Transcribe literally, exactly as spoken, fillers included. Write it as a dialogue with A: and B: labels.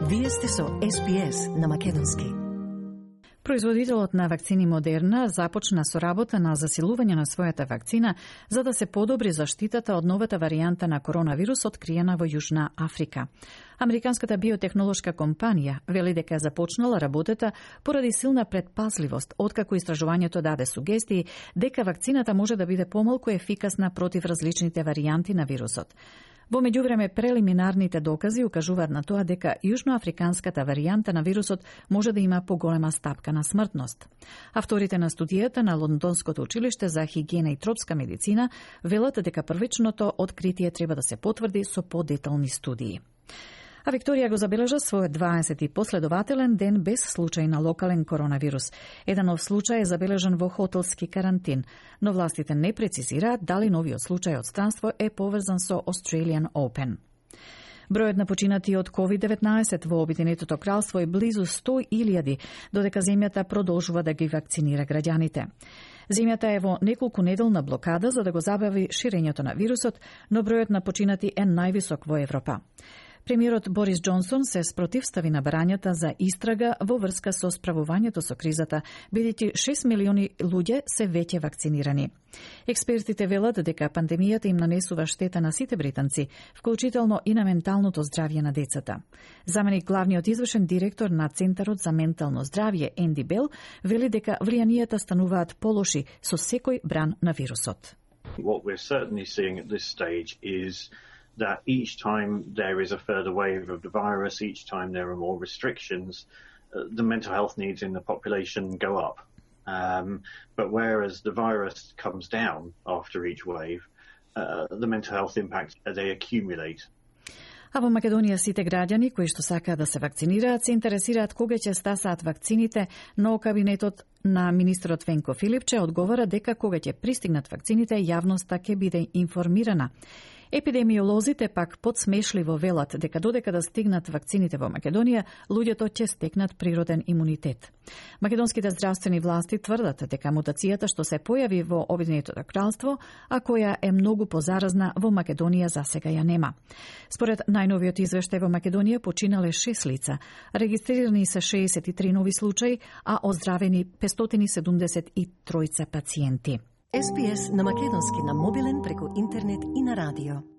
A: Вие сте со Ес Би Ес на македонски.
B: Производителот на вакцини Модерна започна со работа на засилување на својата вакцина за да се подобри заштитата од новата варијанта на коронавирус откриена во Јужна Африка. Американската биотехнолошка компанија вели дека започнала работата поради силна предпазливост, откако истражувањето даде сугестии дека вакцината може да биде помалку ефикасна против различните варијанти на вирусот. Во меѓувреме, прелиминарните докази укажуваат на тоа дека јужноафриканската варијанта на вирусот може да има поголема стапка на смртност. Авторите на студијата на Лондонското училиште за хигиена и тропска медицина велат дека првичното откритие треба да се потврди со подетални студии. А Викторија го забележа својот дваесети последователен ден без случај на локален коронавирус. Еден нов случај е забележан во хотелски карантин, но властите не прецизираат дали новиот случај од странство е поврзан со Australian Open. Бројот на починати од ковид деветнаесет во Обединетото кралство е близу сто илјади, додека земјата продолжува да ги вакцинира граѓаните. Земјата е во неколку неделна блокада за да го забави ширењето на вирусот, но бројот на починати е највисок во Европа. Премиерот Борис Џонсон се спротивстави на барањата за истрага во врска со справувањето со кризата, бидејќи шест милиони луѓе се веќе вакцинирани. Експертите велат дека пандемијата им нанесува штета на сите британци, вклучително и на менталното здравје на децата. Заменик главниот извршен директор на Центарот за ментално здравје Енди Бел вели дека влијанијата стануваат полоши со секој бран на вирусот.
C: What we're certainly seeing at this stage is that each time there is a further wave of the virus, each time there are more restrictions, uh, the mental health needs in the population go up. Um, but whereas the virus comes down after each wave, uh, the mental health impacts, uh, they accumulate.
B: А во Македонија сите граѓани кои што сакаат да се вакцинираат се интересираат кога ќе стасаат вакцините, но кабинетот на министерот Венко Филипче одговара дека кога ќе пристигнат вакцините, јавноста ќе биде информирана. Епидемиолозите пак подсмешливо велат дека додека да стигнат вакцините во Македонија, луѓето ќе стекнат природен имунитет. Македонските здравствени власти тврдат дека мутацијата што се појави во Обединетото кралство, а која е многу позаразна, во Македонија засега ја нема. Според најновиот извештај во Македонија починале шест лица, регистрирани се шеесет и три нови случаи, а оздравени петстотини седумдесет и три пациенти.
A: Ес Би Ес на македонски на мобилен преку интернет и на радио.